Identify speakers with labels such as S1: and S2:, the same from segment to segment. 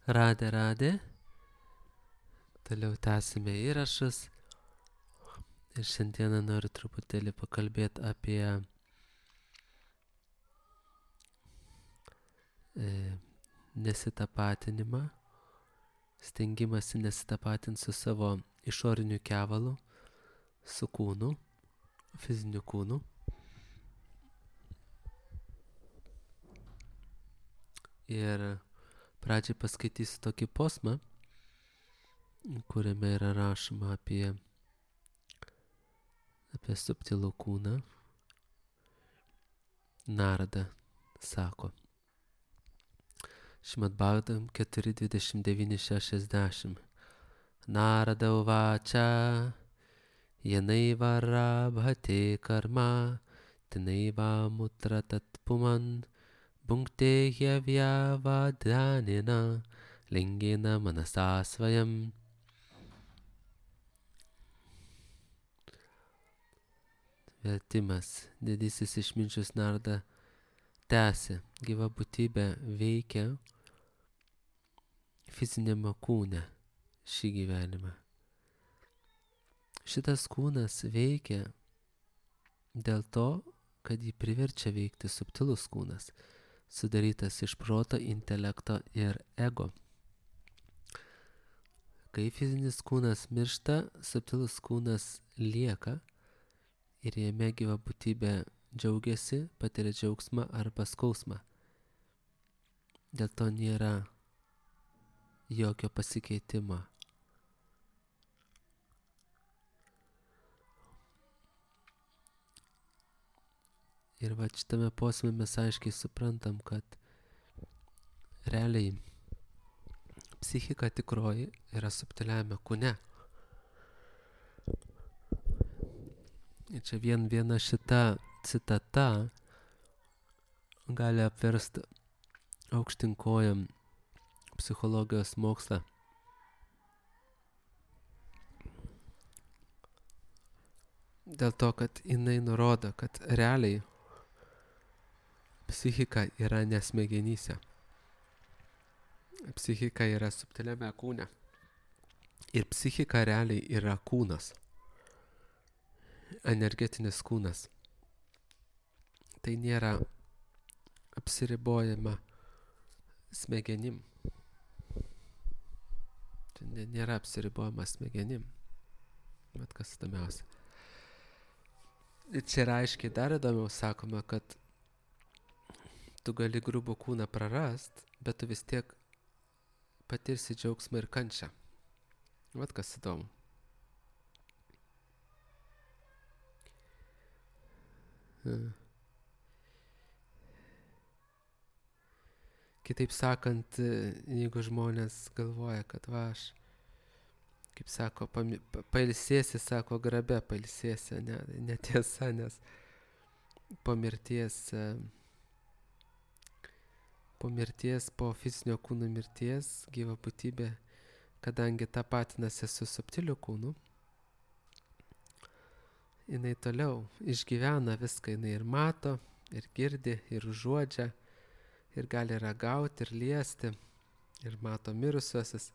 S1: Radė. Toliau tęsime įrašus. Ir šiandieną noriu truputėlį pakalbėti apie nesitapatinimą, stengimąsi nesitapatinti su savo išoriniu kevalu, su kūnu, fiziniu kūnu. Ir pradžiai paskaitysiu tokį posmą, kuriame yra rašoma apie subtilų kūną. Narada sako. Šrimad Bhagavatam 4.29.60. Narada uvača yanaiva rabhate karma tinaiva mutra tatpuman bhunkte hyavyavadhanena lingena manasa svayam. Vertimas. Didysis išminčius Narada tęsė. Gyva būtybė veikia fizinėme kūne šį gyvenimą. Šitas kūnas veikia dėl to, kad jį priverčia veikti subtilus kūnas, sudarytas iš proto, intelekto ir ego. Kai fizinis kūnas miršta, subtilus kūnas lieka ir jame gyva būtybė džiaugiasi, patiria džiaugsmą arba skausmą. Dėl to nėra jokio pasikeitimo. Ir va šitame posme mes aiškiai suprantam, kad realiai psichika tikroji yra subtiliame kūne. Ir čia viena šita citata gali apversti aukštyn kojom psichologijos mokslą. Dėl to, kad jinai nurodo, kad realiai psichika yra ne smegenyse. Psichika yra subtiliame kūne. Ir psichika realiai yra kūnas. Energetinis kūnas. Tai nėra apsiribojama smegenim. Tai nėra apsiribojama smegenim. Bet kas įdomiausia. Ir čia yra aiškiai dar įdomiau sakoma, kad tu gali grubų kūną prarast, bet tu vis tiek patirsi džiaugsmą ir kančią. Vat kas įdomu. Kitaip sakant, jeigu žmonės galvoja, kad va aš, kaip sako, pailsėsi, sako, grabe pailsėsi, netiesa, nes po mirties, po fizinio kūno mirties gyva būtybė, kadangi tapatinasi su subtiliu kūnu, jinai toliau išgyvena viską, jinai ir mato, ir girdi, ir užuodžia, ir gali ragauti, ir liesti, ir mato mirusiuosius,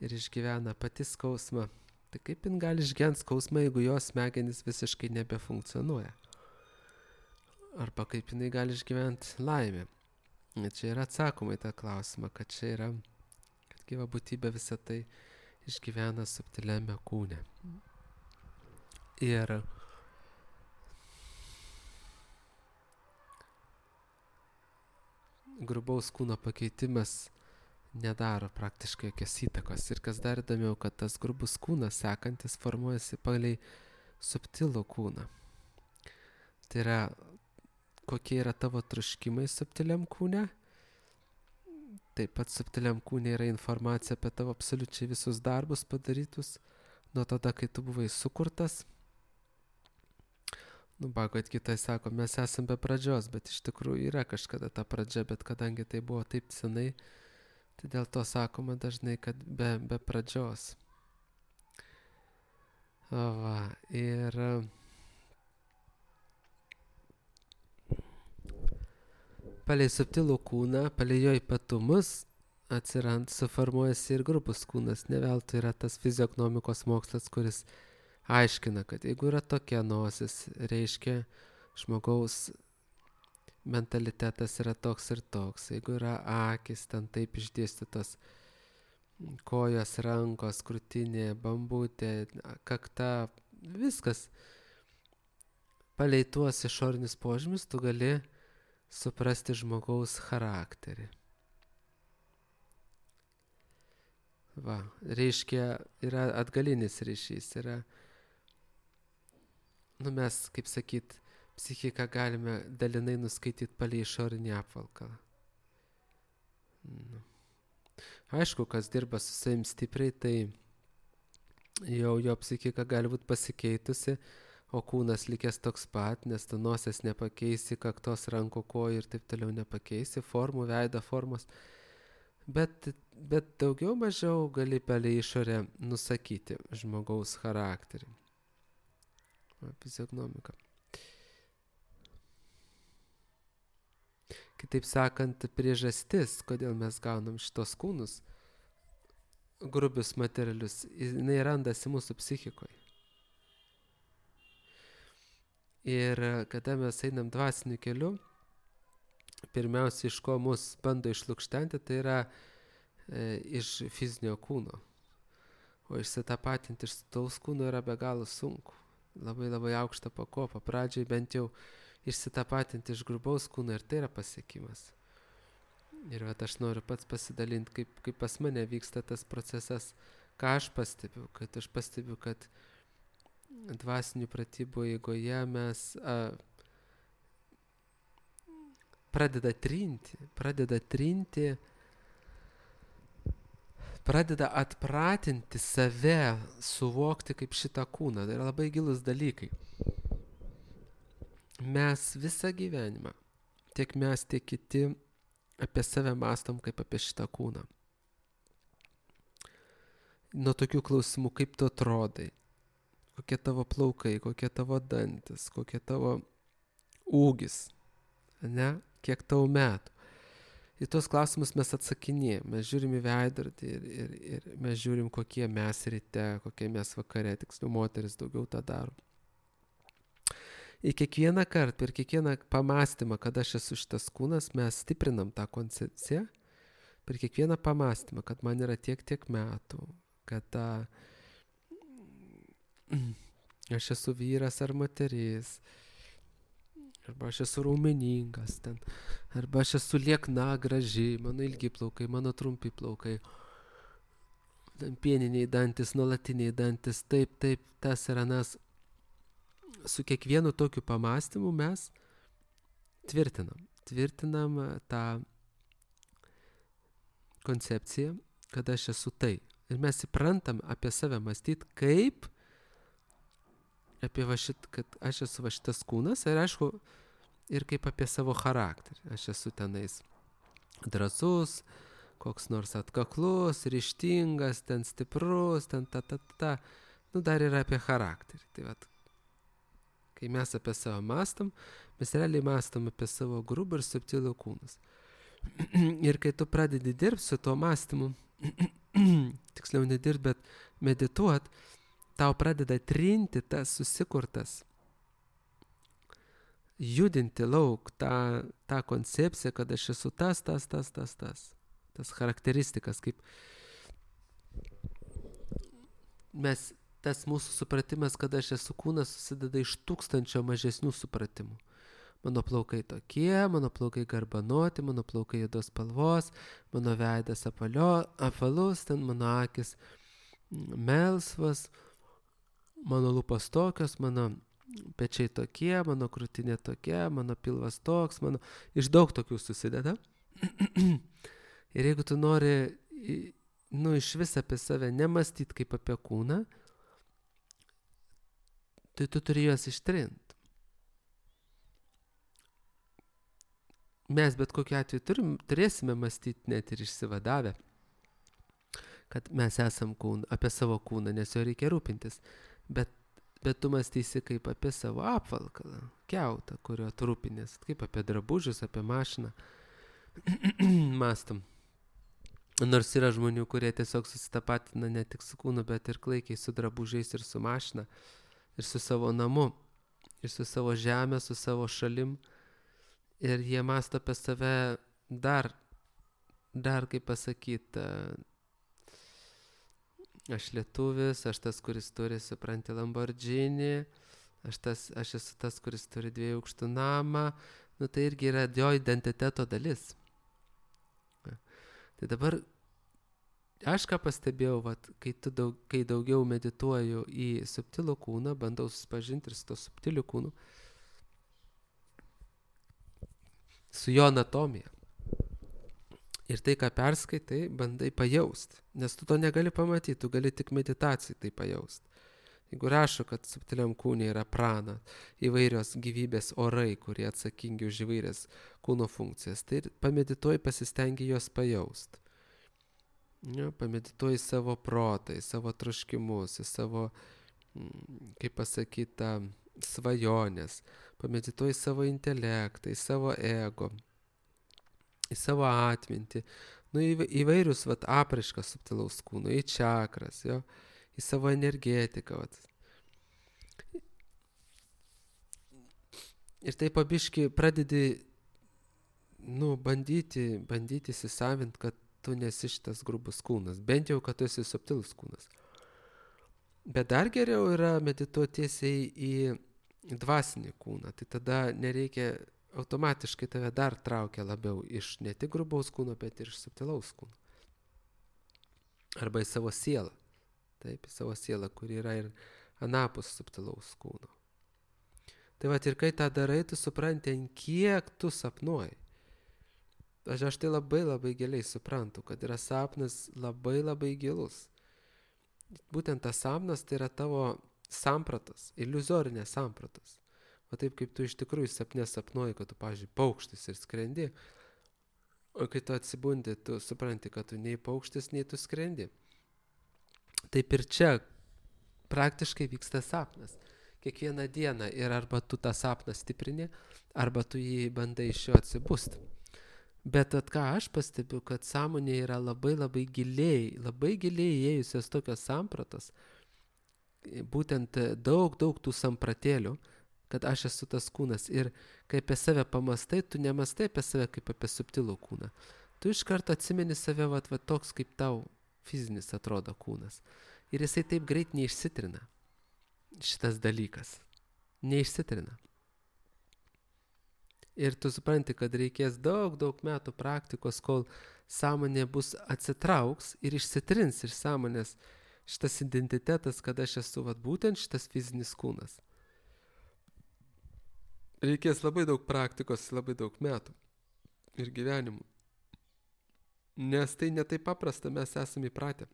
S1: ir išgyvena pati skausmą. Tai kaip jin gali išgyventi skausmą, jeigu jos smegenys visiškai nebefunkcionuoja? Arba kaip jinai gali išgyventi laimę? Ir čia yra atsakoma į tą klausimą, kad čia yra, kad gyva būtybė visą tai išgyvena subtiliame kūne. Ir grubaus kūno pakeitimas nedaro praktiškai jokios įtakos. Ir kas dar įdomiau, kad tas grubus kūnas sekantis formuojasi palei subtilų kūną. Tai yra, kokie yra tavo troškimai subtiliam kūne. Taip pat subtiliam kūne yra informacija apie tavo absoliučiai visus darbus padarytus nuo tada, kai tu buvai sukurtas. Bhagavad Gita sako, mes esam be pradžios, bet iš tikrųjų yra kažkada ta pradžia, bet kadangi tai buvo taip senai, tai dėl to sakoma dažnai, kad be pradžios. Ir palei subtilų kūną, palei jo ypatumus, suformuojasi ir grubus kūnas. Ne veltui yra tas fizionomikos mokslas, kuris aiškina, kad jeigu yra tokia nosis, reiškia žmogaus mentalitetas yra toks ir toks. Jeigu yra akis, ten taip išdėstytos kojos, rankos, krūtinė, bambutė, kakta, viskas. Palei tuos išorinius požymius tu gali suprasti žmogaus charakterį. Va, reiškia, yra atgalinis ryšys, yra, mes, kaip sakyt, psichiką galime dalinai nuskaityti palei išorinį apvalkalą. Aišku, kas dirba su savim stipriai, tai jau jo psichika gali būti pasikeitusi, o kūnas likęs toks pat, nes tu nosies nepakeisi, kaktos, rankų, kojų ir taip toliau nepakeisi, formų, veido formos. Bet daugiau mažiau gali palei išorę nusakyti žmogaus charakterį. Fizionomika. Kitaip sakant, priežastis, kodėl mes gaunam šitos kūnus, grubius materialius, jinai randasi mūsų psichikoje. Ir kada mes einam dvasiniu keliu, pirmiausia, iš ko mus bando išlukštenti, tai yra iš fizinio kūno. O išsitapatinti iš taus kūno yra be galo sunku. Labai labai aukšta pakopa. Pradžiai bent jau išsitapatinti iš grubaus kūno ir tai yra pasiekimas. Ir aš noriu pats pasidalinti, kaip pas mane vyksta tas procesas, ką aš pastebiu. Aš pastebiu, kad dvasinių pratybų eigoje mes pradeda atpratinti save suvokti kaip šitą kūną. Tai yra labai gilus dalykai. Mes visą gyvenimą, tiek mes, tiek kiti, apie save mąstom kaip apie šitą kūną. Nuo tokių klausimų, kaip tu atrodai, kokie tavo plaukai, kokie tavo dantis, kokie tavo ūgis, ne? Kiek tau metų. Į tos klausimus mes atsakinėjame, mes žiūrim į veidrodį ir mes žiūrim, kokie mes ryte, kokie mes vakare, tiksliau moteris daugiau tą daro. Ir kiekvieną kartą, per kiekvieną pamastymą, kad aš esu šitas kūnas, mes stiprinam tą koncepciją, per kiekvieną pamastymą, kad man yra tiek metų, kad aš esu vyras ar moteris, arba aš esu raumeningas ten, arba aš esu liekna, graži, mano ilgi plaukai, mano trumpi plaukai, pieniniai dantis, nuolatiniai dantis, taip, tas ir anas. Su kiekvienu tokiu pamastymu mes tvirtinam tą koncepciją, kad aš esu tai. Ir mes įprantam apie save mąstyti kaip apie kad aš esu šitas kūnas ir aišku, ir kaip apie savo charakterį. Aš esu tenais drąsus, koks nors atkaklus, ryžtingas, ten stiprus, ten dar yra apie charakterį. Tai vat, kai mes apie save mąstam, mes realiai mąstam apie savo grubų ir subtilų kūnus. Ir kai tu pradedi dirbti su tuo mąstymu, tiksliau nedirbt, bet medituot, tau pradeda trinti tas susikurtas, judinti lauk tą koncepciją, kad aš esu tas charakteristikas, kaip mes, tas mūsų supratimas, kad aš esu kūnas, susideda iš 1000 mažesnių supratimų. Mano plaukai tokie, mano plaukai garbanoti, mano plaukai juodos spalvos, mano veidas apvalus, ten mano akis melsvas, mano lūpos tokios, mano pečiai tokie, mano krūtinė tokia, mano pilvas toks, iš daug tokių susideda. Ir jeigu tu nori, iš vis apie save nemąstyti kaip apie kūną, tai tu turi juos ištrinti. Mes bet kokiu atveju turėsime mąstyti net ir išsivadavę, kad mes esam apie savo kūną, nes jo reikia rūpintis. Bet tu mąstysi kaip apie savo apvalkalą, kiautą, kurio tu rūpinės, kaip apie drabužius, apie mašiną. Mąstam. Nors yra žmonių, kurie tiesiog susitapatina ne tik su kūnu, bet ir klaikiai su drabužiais ir su mašina, ir su savo namu, ir su savo žemė, su savo šalim. Ir jie mąsto apie save dar kaip pasakyti, aš lietuvis, aš tas, kuris turi, supranti, Lamborghini, aš esu tas, kuris turi 2 aukštų namą. Nu tai irgi yra jo identiteto dalis. Tai dabar aš ką pastebėjau, vat, kai daugiau medituoju į subtilų kūną, bandau susipažinti ir su to subtiliu kūnu, su jo anatomija. Ir tai, ką perskaitai, bandai pajausti, nes tu to negali pamatyti, tu gali tik meditacijai tai pajausti. Jeigu rašo, kad subtiliam kūne yra prana, įvairios gyvybės orai, kurie atsakingi už įvairias kūno funkcijas, tai pamedituoji, pasistengi juos pajausti. Ja, pamedituoji savo protą, savo troškimus, savo, kaip pasakyta, svajonės, pamedituoji savo intelektą, savo ego, į savo atmintį, įvairius apraiškas subtilaus kūno, į čakras, jo, į savo energetiką. Ir tai pabiški pradedi bandyti įsisavinti, kad tu nesi šitas grubus kūnas, bent jau, kad tu esi subtilus kūnas. Bet dar geriau yra medituoti tiesiai į dvasinį kūną, tai tada nereikia, automatiškai tave dar traukia labiau iš ne tik grubaus kūno, bet ir iš subtilaus kūno. Arba į savo sielą. Taip, į savo sielą, kur yra ir anapus subtilaus kūno. Tai vat ir kai tą darai, tu supranti, kiek tu sapnuoji. Aš tai labai giliai suprantu, kad yra sapnas labai gilus. Būtent tas sapnas tai yra tavo sampratas, iliuzorinės sampratas. O taip kaip tu iš tikrųjų sapne sapnuoji, kad tu, pavyzdžiui, paukštis ir skrendi, o kai tu atsibundi, tu supranti, kad tu nei paukštis, nei tu skrendi. Taip ir čia praktiškai vyksta sapnas. Kiekvieną dieną ir arba tu tą sapną stiprini, arba tu jį bandai iš jo atsibusti. Bet ką aš pastebiu, kad sąmonė yra labai giliai įėjusios tokios sampratos, būtent daug tų sampratėlių, kad aš esu tas kūnas. Ir kai apie save pamastai, tu nemastai apie save kaip apie subtilų kūną. Tu iš karto atsimeni save va toks, kaip tau fizinis atrodo kūnas. Ir jisai taip greit neišsitrina. Šitas dalykas. Neišsitrina. Ir tu supranti, kad reikės daug metų praktikos, kol sąmonė bus atsitrauks ir išsitrins iš sąmonės šitas identitetas, kad aš esu būtent šitas fizinis kūnas. Reikės labai daug praktikos, labai daug metų ir gyvenimų. Nes tai ne taip paprasta, mes esame įpratę.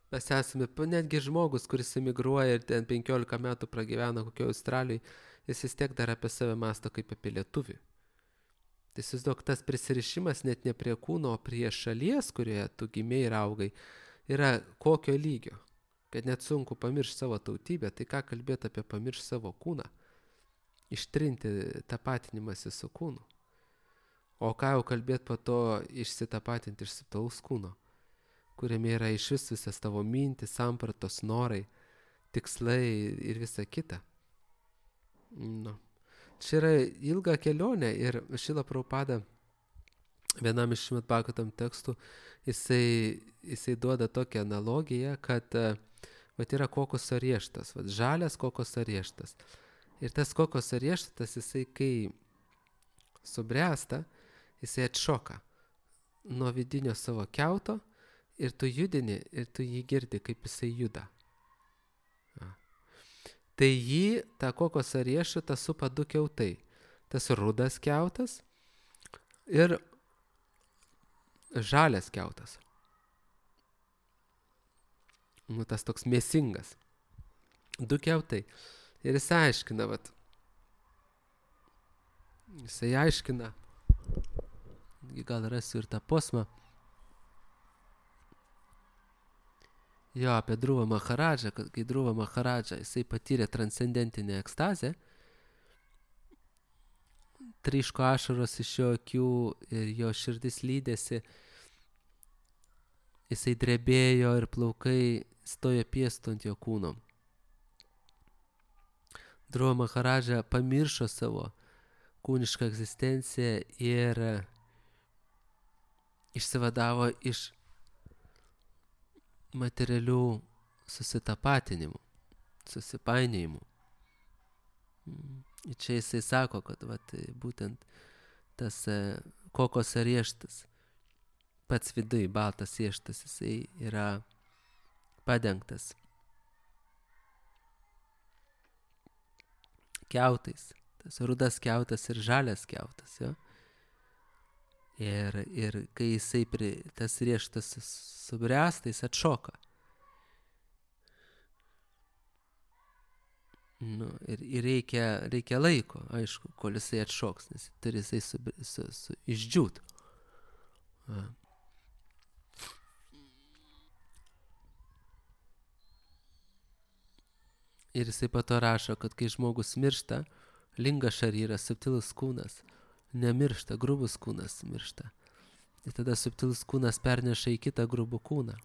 S1: Mes esame, netgi žmogus, kuris emigruoja ir ten 15 metų pragyvena kokioje Australijoje, jis vis tiek dar apie save mąsto kaip apie lietuvį. Tai įsivaizduok, tas prisirišimas net ne prie kūno, o prie šalies, kurioje tu gimei ir augai, yra kokio lygio. Kad net sunku pamiršti savo tautybę, tai ką kalbėti apie pamiršti savo kūną? Ištrinti tapatinimąsi su kūnu. O ką jau kalbėti po to išsitapatinti iš subtilaus kūno, kuriame yra iš visas tavo mintis, sampratos, norai, tikslai ir visa kita. Nu. Čia yra ilga kelionė ir Šrila Prabhupada vienam iš Šrimad Bhagavatam tekstų jisai duoda tokią analogiją, kad yra kokoso rieštas, žalias kokoso rieštas. Ir tas kokoso rieštas, jisai kai subręsta, jisai atšoka nuo vidinio savo kiauto ir tu judini ir tu jį girdi, kaip jisai juda. Tai jį, tą kokosą riešutą supa 2 kiautai. Tas rudas kiautas ir žalias kiautas. Tas toks mėsingas. 2 kiautai. Ir jisai aiškina, gal rasiu ir tą posmą, jo, apie Dhruva Maharadžą, kad kai Dhruva Maharadžą jisai patyrė transcendentinę ekstazę, tryško ašaros iš jo akių ir jo širdis lydėsi. Jisai drebėjo ir plaukai stojo piestu ant jo kūno. Dhruva Maharadža pamiršo savo kūnišką egzistenciją ir išsivadavo iš materialių susitapatinimų, susipainiojimų. Ir čia jisai sako, kad būtent tas kokos rieštas, pats viduj baltas rieštas, jisai yra padengtas kiautais. Tas rudas kiautas ir žalias kiautas, jo. Ir kai jisai tas rieštas subręsta, jis atšoka. Nu, ir reikia laiko, aišku, kol jisai atšoks, nes turi jisai išdžiūt. Ir jisai po to rašo, kad kai žmogus miršta, linga šaryras, subtilus kūnas, nemiršta, grubus kūnas miršta. Ir tada subtilus kūnas perneša į kitą grubų kūną.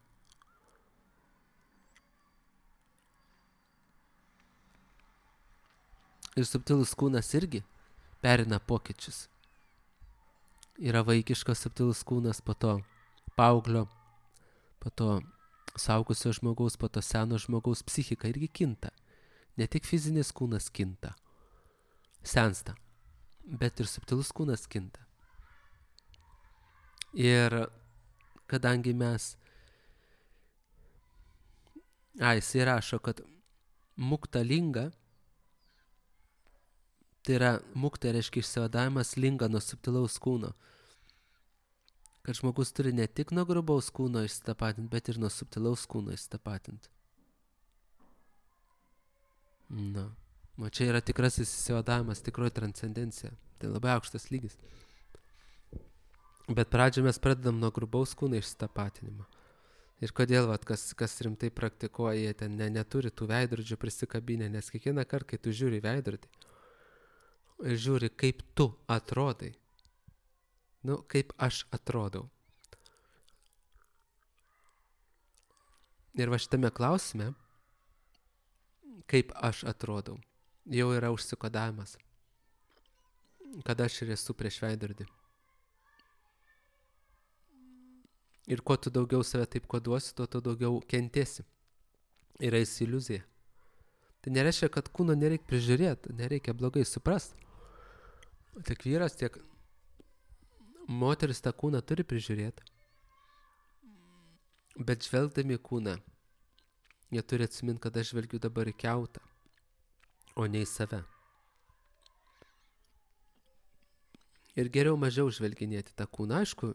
S1: Ir subtilus kūnas irgi perina pokyčius. Yra vaikiškas subtilus kūnas, po to paauglio, po to suaugusio žmogaus, po to seno žmogaus psichika irgi kinta. Ne tik fizinis kūnas kinta, sensta, bet ir subtilus kūnas kinta. Ir kadangi jisai rašo, kad mukta linga, tai yra mukta reiškia išsivadavimas linga nuo subtilaus kūno. Kad žmogus turi ne tik nuo grubaus kūno išsitapatinti, bet ir nuo subtilaus kūno išsitapatinti. Na, o čia yra tikrasis išsivadavimas, tikroji transcendencija. Tai labai aukštas lygis. Bet pradžioje mes pradedam nuo grubaus kūno išsitapatinimo. Ir kodėl, kas rimtai praktikuoja, jie ten neturi tų veidrodžių prisikabinę, nes kiekvieną kartą, kai tu žiūri veidrodį ir žiūri, kaip tu atrodai, kaip aš atrodau. Ir va šitame klausime, kaip aš atrodau, jau yra užsikodavimas, kad aš ir esu prieš veidrodį. Ir kuo tu daugiau save taip koduosi, tuo tu daugiau kentėsi. Yra iliuzija. Tai nereiškia, kad kūno nereikia prižiūrėti, nereikia blogai suprasti. Tiek vyras, tiek moteris tą kūną turi prižiūrėti. Bet žvelgdami kūną, jie turi atsiminti, kad aš žvelgiu dabar į kiautą, o ne į save. Ir geriau mažiau žvelginėti tą kūną. Aišku,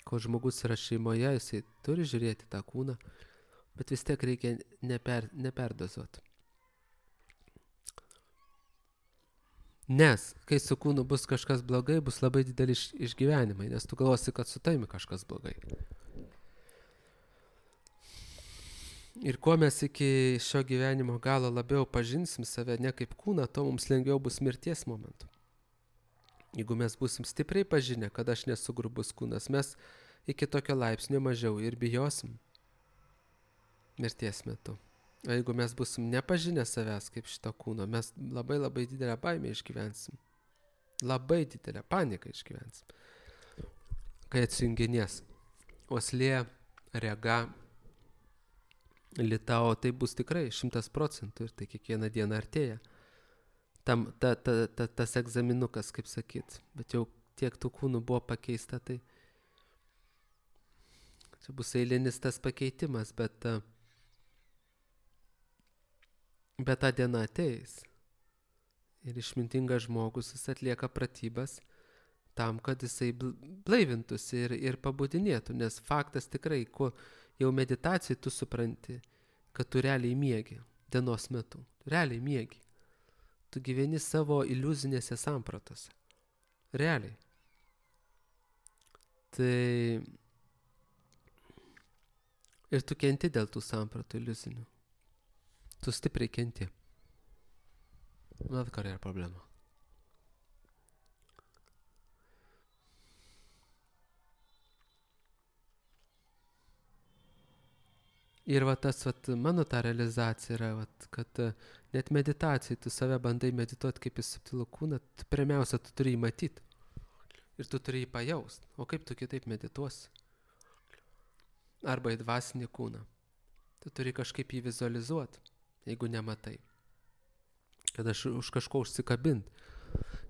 S1: kol žmogus yra šeimoje, jisai turi žiūrėti tą kūną, bet vis tiek reikia neperdozuoti. Nes, kai su kūnu bus kažkas blogai, bus labai dideli išgyvenimai, nes tu galvosi, kad su taimi kažkas blogai. Ir kuo mes iki šio gyvenimo galo labiau pažinsim save ne kaip kūną, to mums lengviau bus mirties momentu. Jeigu mes būsim stipriai pažinę, kad aš nesu grubus kūnas, mes iki tokio laipsnio mažiau ir bijosim mirties metu. O jeigu mes būsim nepažinę savęs kaip šito kūno, mes labai labai didelę baimę išgyvensim. Labai didelę paniką išgyvensim. Kai atsijunginės uoslė, rega, litao, tai bus tikrai 100% ir tai kiekvieną dieną artėja. Tas egzaminukas, kaip sakyt, bet jau tiek tų kūnų buvo pakeista, tai čia bus eilinis tas pakeitimas, bet ta diena ateis. Ir išmintingas žmogus, jis atlieka pratybas tam, kad jisai blaivintųsi ir pabudinėtų, nes faktas tikrai, kuo jau meditacijai tu supranti, kad tu realiai miegi dienos metu, realiai miegi. Tu gyveni savo iliuzinėse sampratose. Realiai. Tai ir tu kenti dėl tų sampratų iliuzinių. Tu stipriai kenti. Mat, kur yra problema. Ir va tas mano ta realizacija yra, kad net meditacijai tu save bandai medituoti kaip į subtilų kūną, pirmiausia, tu turi jį matyti. Ir tu turi jį pajaust. O kaip tu kitaip medituosi? Arba į dvasinį kūną. Tu turi kažkaip jį vizualizuoti, jeigu nematai. Kad aš už kažko užsikabint.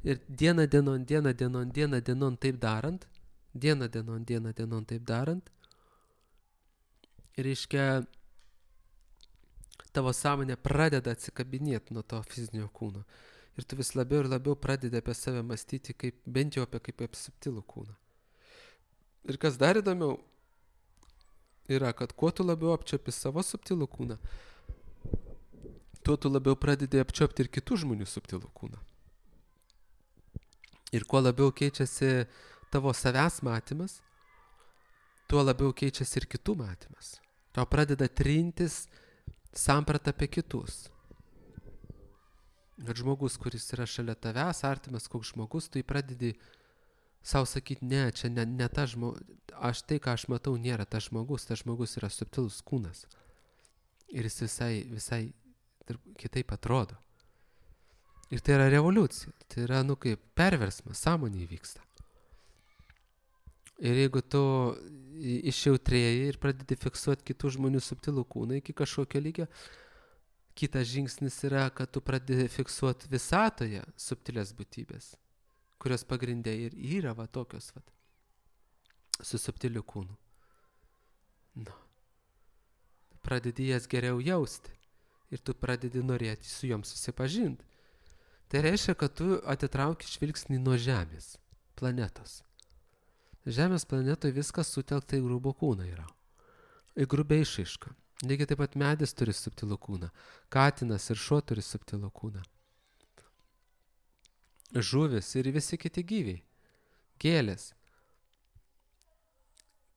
S1: Ir dieną dienon taip darant, reiškia, tavo sąmonė pradeda atsikabinėti nuo to fizinio kūno. Ir tu vis labiau ir labiau pradedi apie save mąstyti bent jau kaip apie subtilų kūną. Ir kas dar įdomiau yra, kad kuo tu labiau apčiuopi savo subtilų kūną, tuo tu labiau pradedi apčiuopti ir kitų žmonių subtilų kūną. Ir kuo labiau keičiasi tavo savęs matymas, tuo labiau keičiasi ir kitų matymas. Tau pradeda trintis samprata apie kitus. Kad žmogus, kuris yra šalia tavęs, artimas koks žmogus, tu jį pradedi savo sakyti, ne, čia ne ta žmogus, tai, ką aš matau, nėra tas žmogus yra subtilus kūnas. Ir jis visai kitaip atrodo. Ir tai yra revoliucija, tai yra, kaip perversmas, sąmonė įvyksta. Ir jeigu tu išjautrėji ir pradedi fiksuoti kitų žmonių subtilų kūną iki kažkokio lygio, kitas žingsnis yra, kad tu pradedi fiksuoti visatoje subtilės būtybės, kurios pagrindė ir yra tokios su subtiliu kūnu. Pradedi jas geriau jausti ir tu pradedi norėti su joms susipažinti. Tai reiškia, kad tu atitrauki žvilgsnį nuo Žemės, planetos. Žemės planetoje viskas sutelkta į grubų kūną yra. Į grubę išraišką. Lygiai taip pat medis turi subtilų kūną. Katinas ir šuo turi subtilų kūną. Žuvis ir visi kiti gyviai. Gėlės.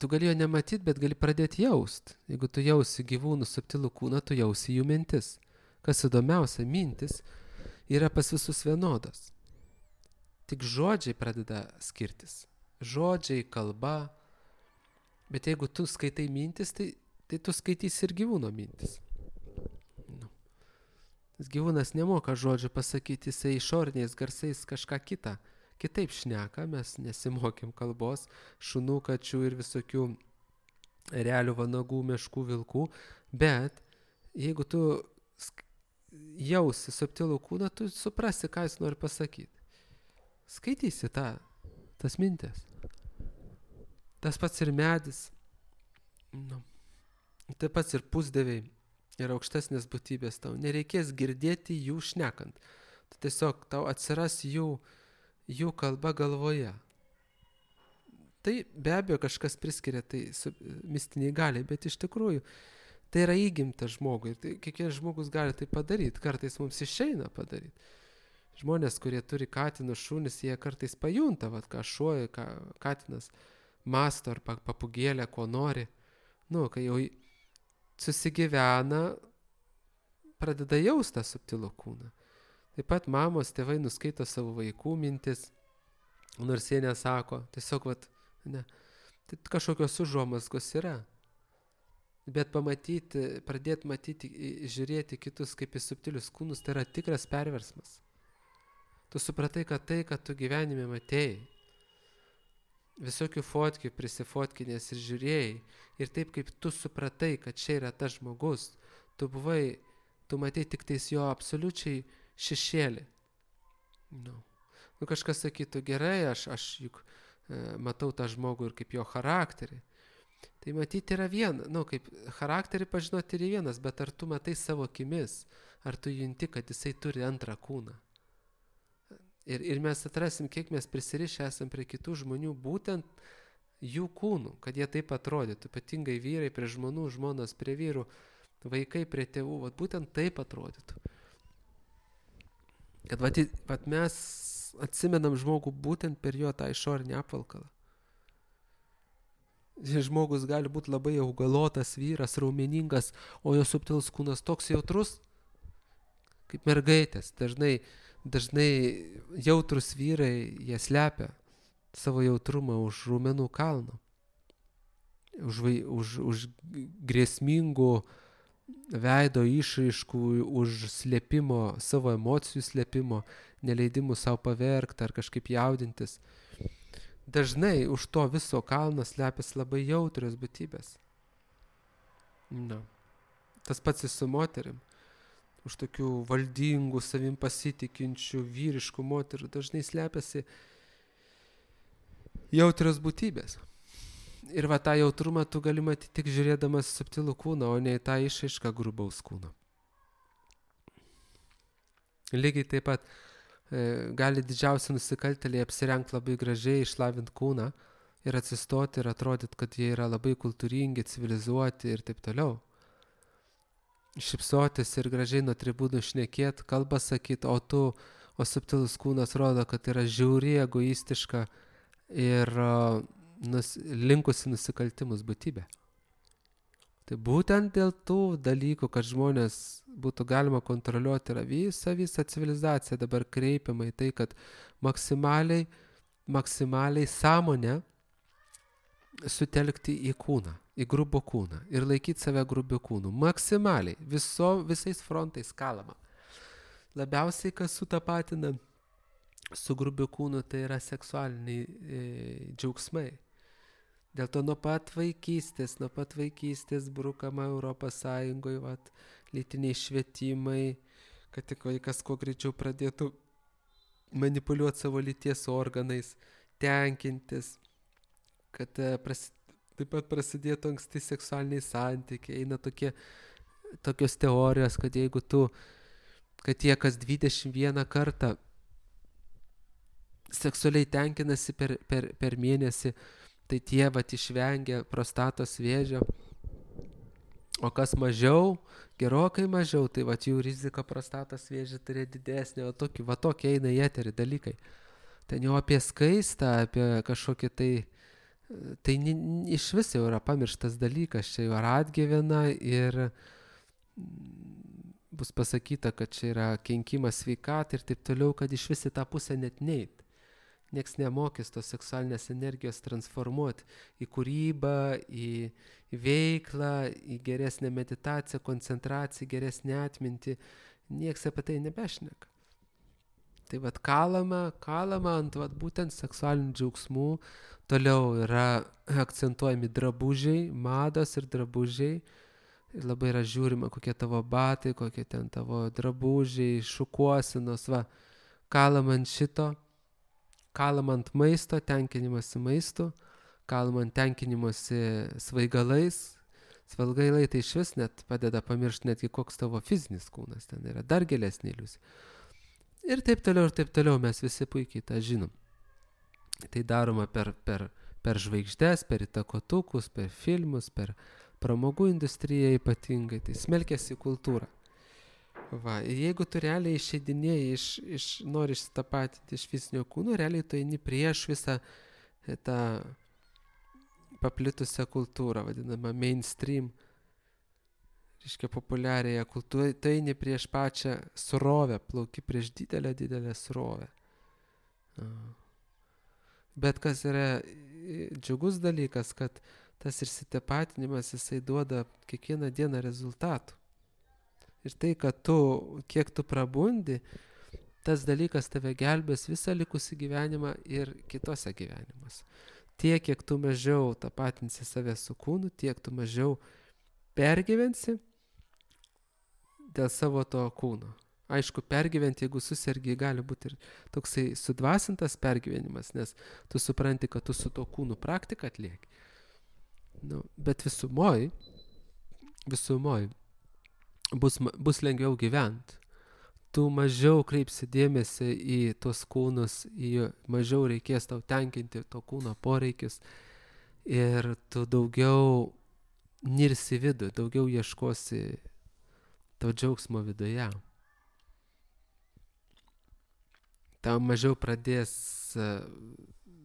S1: Tu gali jo nematyti, bet gali pradėti jaust. Jeigu tu jausi gyvūnų subtilų kūną, tu jausi jų mintis. Kas įdomiausia, mintis yra pas visus vienodos. Tik žodžiai pradeda skirtis. Žodžiai, kalba. Bet jeigu tu skaitai mintis, tai tu skaitysi ir gyvūno mintis. Gyvūnas nemoka žodžių pasakyti, jisai išoriniais garsais kažką kitą. Kitaip šneka, mes nesimokėm kalbos, šunų, kačių ir visokių realių vanagų, meškų, vilkų. Bet jeigu tu jausi subtilų kūną, tu suprasi, ką jis nori pasakyti. Skaitysi tas mintis. Tas pats ir medis. Taip pats ir pusdieviai ir aukštesnės būtybės tau. Nereikės girdėti jų šnekant. Tiesiog tau atsiras jų kalba galvoje. Tai be abejo kažkas priskiria tai mistiniai galiai, bet iš tikrųjų tai yra įgimta žmogui. Ir tai, kiekvienas žmogus gali tai padaryti. Kartais mums išeina padaryti. Žmonės, kurie turi katinus, šunis, jie kartais pajunta, ką šuo, ką katinas masto ar papugėlė, ko nori. Kai jau susigyvena, pradeda jausti tą subtilų kūną. Taip pat mamos, tėvai nuskaito savo vaikų mintis, nors jie nesako, tiesiog tai kažkokios užuomazgos yra. Bet pradėti matyti, žiūrėti kitus kaip į subtilius kūnus, tai yra tikras perversmas. Tu supratai, kad tai, kad tu gyvenime matėjai, visokių fotkių prisifotkinės ir žiūrėjai, ir taip kaip tu supratai, kad čia yra tas žmogus, tu matei tik tais jo absoliučiai šešėlį. Kažkas sakytų, gerai, aš juk matau tą žmogų ir kaip jo charakterį. Tai matyti yra viena, kaip charakterį pažinoti yra vienas, bet ar tu matai savo akimis, ar tu junti, kad jisai turi antrą kūną. Ir mes atrasim, kiek mes prisirišę esam prie kitų žmonių, būtent jų kūnų, kad jie taip atrodytų, ypatingai vyrai prie žmonų, žmonos prie vyrų, vaikai prie tėvų, būtent taip atrodytų. Kad mes atsimenam žmogų būtent per jo tą išorinį apvalkalą. Žmogus gali būti labai augalotas vyras, raumeningas, o jo subtilus kūnas toks jautrus, kaip mergaitės. Dažnai jautrus vyrai, jie slepia savo jautrumą už raumenų kalno. už grėsmingų veido išraiškų, už slėpimo, savo emocijų slėpimo, neleidimų savo paverkti ar kažkaip jaudintis. Dažnai už to viso kalno slepiasi labai jautrios būtybės. Na. Tas pats ir su moterim. Už tokių valdingų, savim pasitikinčių, vyriškų moterų dažnai slepiasi jautrios būtybės. Ir va tą jautrumą tu gali matyti tik žiūrėdamas subtilų kūną, o ne į tą išraišką grubaus kūno. Lygiai taip pat gali didžiausi nusikaltėliai apsirengti labai gražiai, išlavinti kūną ir atsistoti ir atrodyti, kad jie yra labai kultūringi, civilizuoti ir taip toliau. Šipsotis ir gražiai nuo tribūnų šnekėti, kalbą sakyti, o subtilus kūnas rodo, kad yra žiauri, egoistiška ir linkusi nusikaltimus būtybė. Tai būtent dėl tų dalykų, kad žmonės būtų galima kontroliuoti, yra visa civilizacija dabar kreipiama į tai, kad maksimaliai sąmonę sutelkti į kūną, į grubų kūną ir laikyti save grubių kūnų. Maksimaliai, visais frontais kalama. Labiausiai, kas sutapatina su grubiu kūnu, tai yra seksualiniai džiaugsmai. Dėl to nuo pat vaikystės brukama Europos Sąjungoje lytiniai švietimai, kad tik vaikas kuo greičiau pradėtų manipuliuoti savo lyties organais, tenkintis, kad taip pat prasidėtų anksti seksualiniai santykiai. Eina tokios teorijos, kad jeigu kad jie kas 21 kartą seksualiai tenkinasi per mėnesį, tai tie išvengia prostatos vėžio, o kas mažiau, gerokai mažiau, tai jų rizika prostatos vėžį turėti didesnė, o tokie eina į eterį dalykai. Ten jau apie skaistą, apie kažkokį tai iš vis jau yra pamirštas dalykas, čia jau yra atgyvena ir bus pasakyta, kad čia yra kenkimas sveikatai ir taip toliau, kad iš vis į tą pusę net neit. Nieks nemokys tos seksualinės energijos transformuoti į kūrybą, į veiklą, į geresnę meditaciją, koncentraciją, geresnę atmintį. Nieks apie tai nebešneka. Tai kalama ant būtent seksualinių džiaugsmų. Toliau yra akcentuojami drabužiai, mados ir drabužiai. Ir labai yra žiūrima, kokie tavo batai, kokie ten tavo drabužiai, šukuosinos, kalama ant šito. Kalama ant maisto, tenkinimasi maistu, kalama ant tenkinimasi svaigalais. Svaigalai tai iš vis net padeda pamiršti netgi koks tavo fizinis kūnas, ten yra dar gilesnė iliuzija. Ir taip toliau, mes visi puikiai tą žinom. Tai daroma per žvaigždes, per įtakotukus, per filmus, per pramogų industriją ypatingai, tai smelkiasi kultūra. Jeigu tu realiai išeidinėjai, nori išsitapatinti iš fizinio kūno, realiai tu eini prieš visą tą paplitusią kultūrą, vadinamą mainstream, reiškia populiariąją kultūrą, tu eini prieš pačią srovę, plauki prieš didelę srovę. Bet kas yra džiugus dalykas, kad tas išsitapatinimas, jisai duoda kiekvieną dieną rezultatų. Ir tai, kad kiek tu prabundi, tas dalykas tave gelbės visą likusį gyvenimą ir kitose gyvenimuose. Tiek, kiek tu mažiau tapatinsi save su kūnu, tiek tu mažiau pergyvensi dėl savo to kūno. Aišku, pergyventi, jeigu susergi, gali būti ir toksai sudvasintas pergyvenimas, nes tu supranti, kad tu su to kūnu praktiką atlieki. Bet visumoj bus lengviau gyventi. Tu mažiau kreipsi dėmesį į tos kūnus, mažiau reikės tau tenkinti to kūno poreikius ir tu daugiau nirsi vidų, daugiau ieškosi to džiaugsmo viduje. Tau mažiau pradės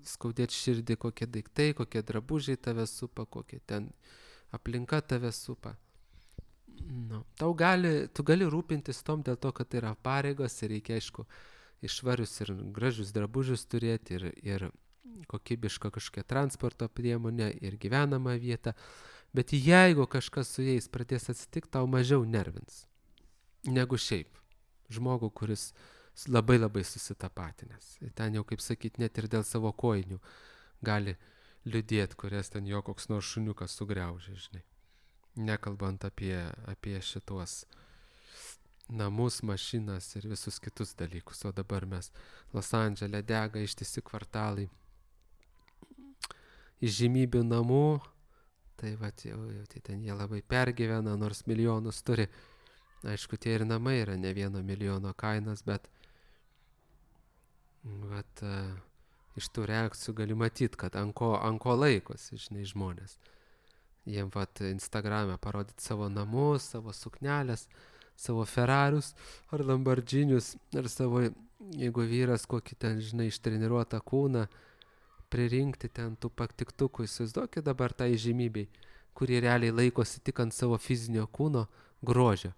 S1: skaudėti širdį kokie daiktai, kokie drabužiai tave supa, kokie ten aplinka tave supa. Tu gali rūpintis tom dėl to, kad tai yra pareigos ir reikia, aišku, išvarius ir gražius drabužius turėti ir kokybišką kažkokią transporto priemonę ir gyvenamą vietą, bet jeigu kažkas su jais pradės atsitikti, tau mažiau nervins negu šiaip žmogų, kuris labai labai susitapatinęs. Ten jau, kaip sakyt, net ir dėl savo kojinių gali liūdėti, kurias ten jo koks nors šuniukas sugriaužė, žinai. Nekalbant apie šitos namus, mašinas ir visus kitus dalykus. O dabar mes Los Andžele dega ištisi kvartalai įžymybių namų, tai vat jau tai ten jie labai pergyvena, nors milijonus turi. Aišku, tie ir namai yra ne 1 milijono kainos, bet vat, iš tų reakcijų gali matyti, kad ant ko laikosi, žinai, žmonės. Jiem vat Instagrame parodyti savo namus, savo suknelės, savo Ferrarius ar Lamborghinius, ar savo, jeigu vyras kokį ten, žinai, ištreniruotą kūną, pririnkti ten tų paktiktukų. Įsivaizduokit dabar tą įžymybei, kurie realiai laikosi tik ant savo fizinio kūno grožio.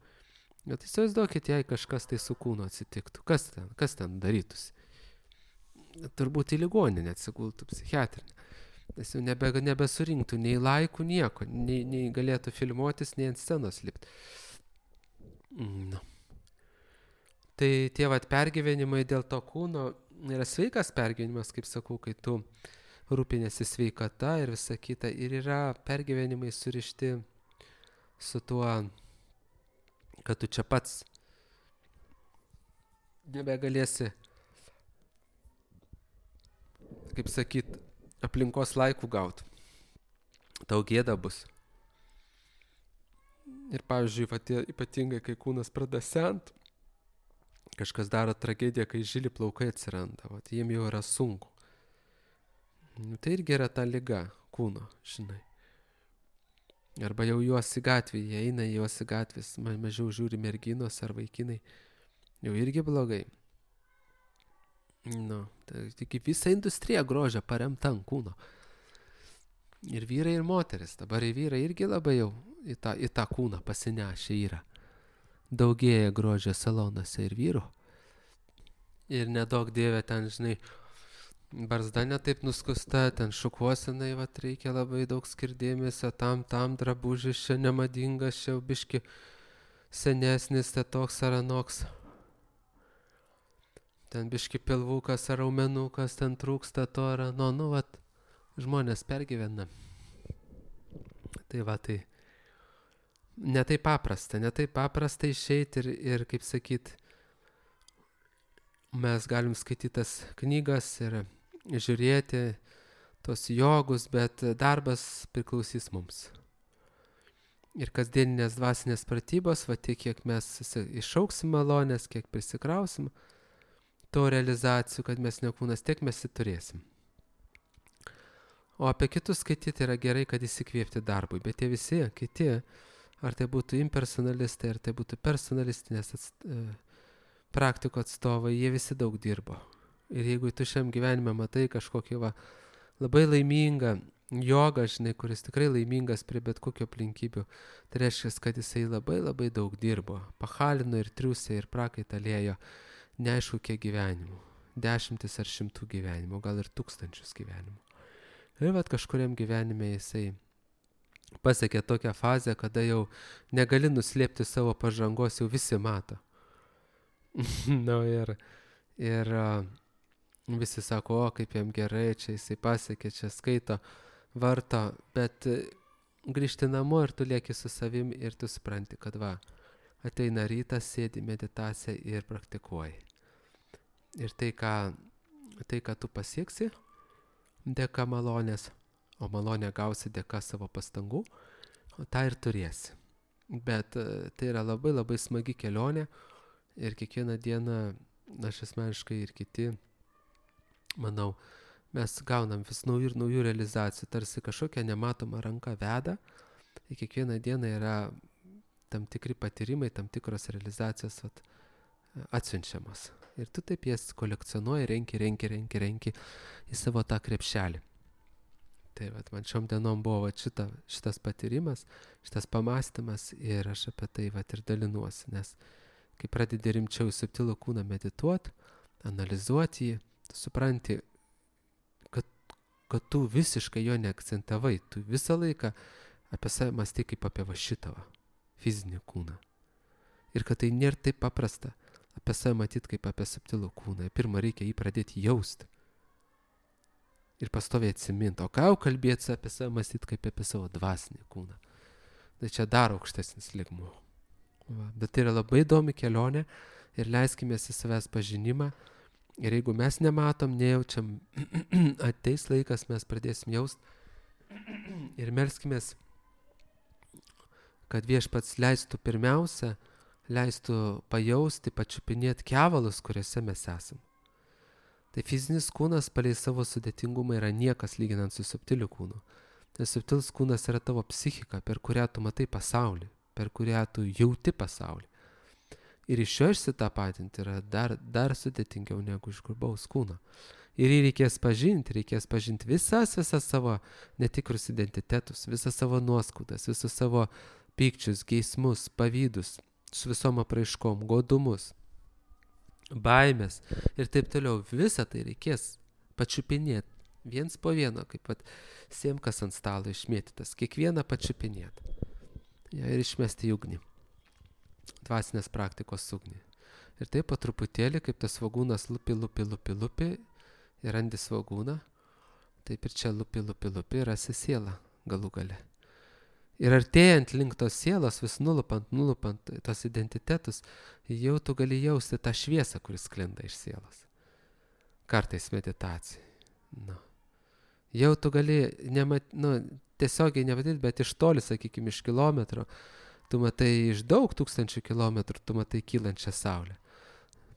S1: Bet įsivaizduokit, jei kažkas tai su kūnu atsitiktų. Kas ten darytųsi? Turbūt į ligoninę atsigultų psichiatrinę. Nes jau nebesurinktų nei laikų, nieko. Nei galėtų filmuotis, nei ant scenos lipti. No. Tai tie vat pergyvenimai dėl to kūno yra sveikas pergyvenimas, kaip sakau, kai tu rūpinėsi sveikata ir visa kita. Ir yra pergyvenimai surišti su tuo, kad tu čia pats nebegalėsi, kaip sakyt, aplinkos laikų gauti. Tau gėda bus. Ir pavyzdžiui, ypatingai, kai kūnas pradeda sent, kažkas daro tragediją, kai žili plaukai atsiranda, jiem jau yra sunku. Tai irgi yra ta liga kūno, žinai. Arba jau juos į gatvį, jie eina juos į gatvės, mažiau žiūri merginos ar vaikinai, jau irgi blogai. Nu, tai tik visa industrija grožio paremta ant kūno. Ir vyrai, ir moteris, dabar vyrai irgi labai jau į tą kūną pasinešę yra. Daugėja grožio salonuose ir vyrų. Ir nedaug dievė ten, žinai, barzda netaip nuskusta, ten šukuosenai, reikia labai daug skirdėmėsio, tam drabužis čia nemadingas, čia biški senesnis, tai toks ar anoks. Ten biški pilvukas ar raumenukas, ten trūksta to ar ano, žmonės pergyvena. Tai netai paprasta išeiti ir kaip sakyt, mes galim skaityti tas knygas ir žiūrėti tos jogus, bet darbas priklausys mums. Ir kasdieninės dvasinės pratybos, tiek kiek mes išauksim malonės, kiek prisikrausim to realizacijų, kad mes ne kūnas, tiek mes turėsim. O apie kitus skaityti yra gerai, kad įsikvėpti darbui, bet tie visi kiti, ar tai būtų impersonalistai, ar tai būtų personalistinės praktikų atstovai, jie visi daug dirbo. Ir jeigu tu šiam gyvenime matai kažkokį labai laimingą jogą, žinai, kuris tikrai laimingas prie bet kokio aplinkybių, tai reiškia, kad jisai labai labai daug dirbo. Pachalino ir triusė ir prakaitalėjo neaišku kiek gyvenimų. 10 ar 100 gyvenimų, gal ir 1000 gyvenimų. Ir kažkuriam gyvenime jisai pasiekė tokią fazę, kada jau negali nuslėpti savo pažangos, jau visi mato. Ir visi sako, kaip jam gerai, čia jisai pasiekė, čia skaito, varto, bet grįžti namo ir tu lieki su savim ir tu supranti, kad ateina rytas, sėdi meditacija ir praktikuoji. Ir tai, ką tu pasieksi, dėka malonės, o malonę gausi dėka savo pastangų, tą ir turėsi. Bet tai yra labai labai smagi kelionė ir kiekvieną dieną, aš asmeniškai ir kiti, manau, mes gaunam vis naujų ir naujų realizacijų, tarsi kažkokia nematoma ranka veda, ir kiekvieną dieną yra tam tikri patyrimai, tam tikros realizacijos atsiunčiamas. Ir tu taip jas kolekcionuoji, renki į savo tą krepšelį. Tai man šiom dienom buvo šitas patyrimas, šitas pamastymas ir aš apie tai ir dalinuosi, nes kai pradedi rimčiau subtilų kūną medituoti, analizuoti jį, tu supranti, kad kad tu visiškai jo neakcentavai, tu visą laiką apie save mąstai kaip apie va šitą fizinį kūną. Ir kad tai nėra taip paprasta apie save matyti kaip apie subtilų kūną. Pirma, reikia jį pradėti jausti. Ir pastoviai atsiminti. O ką jau kalbėti apie save mąstyti kaip apie savo dvasinį kūną. Tai čia dar aukštesnis lygmuo. Bet tai yra labai įdomi kelionė ir leiskimės į savęs pažinimą. Ir jeigu mes nematom, nejaučiam, ateis laikas, mes pradėsim jaust ir melskimės, kad Viešpats leistų pirmiausia, leistų pajausti, pačiupinėti kevalus, kuriuose mes esam. Tai fizinis kūnas palei savo sudėtingumą yra niekas lyginant su subtiliu kūnu. Nes subtilus kūnas yra tavo psichika, per kurią tu matai pasaulį, per kurią tu jauti pasaulį. Ir iš jo išsitapatinti yra dar sudėtingiau negu iš grubaus kūno. Ir jį reikės pažinti visas savo netikrus identitetus, visas savo nuoskaudas, visus savo pykčius, geismus, pavydus, su visom apraiškom, godumus, baimės ir taip toliau. Visą tai reikės pačiupinėti, viens po vieno, kaip siemkas ant stalo išmėtytas, kiekvieną pačiupinėti. Ja, ir išmesti į ugnį, dvasinės praktikos ugnį. Ir taip po truputėlį, kaip tas svogūnas lupi ir randi svogūną, taip ir čia lupi, rasi sielą galų gale. Ir artėjant link tos sielos, vis nulupant tos identitetus, jau tu gali jausti tą šviesą, kuris sklinda iš sielos. Kartais meditacijai. Jau tu gali tiesiogiai nematyti, bet iš toli, sakykime, iš kilometro, tu matai iš daug tūkstančių kilometrų, tu matai kylančią saulę.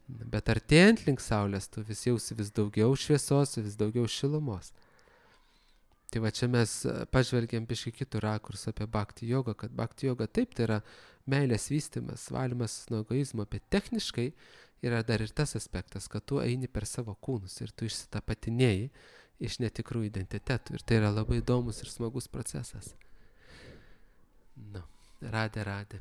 S1: Bet artėjant link saulės, tu vis jausi vis daugiau šviesos, vis daugiau šilumos. Tai va čia mes pažvelgiam biškį kitų rakursų apie bhakti jogą, kad bhakti joga taip, tai yra meilės vystymas, valymas nuo egoizmo, bet techniškai yra dar ir tas aspektas, kad tu eini per savo kūnus ir tu išsitapatinėjai iš netikrų identitetų. Ir tai yra labai įdomus ir smagus procesas. Radė.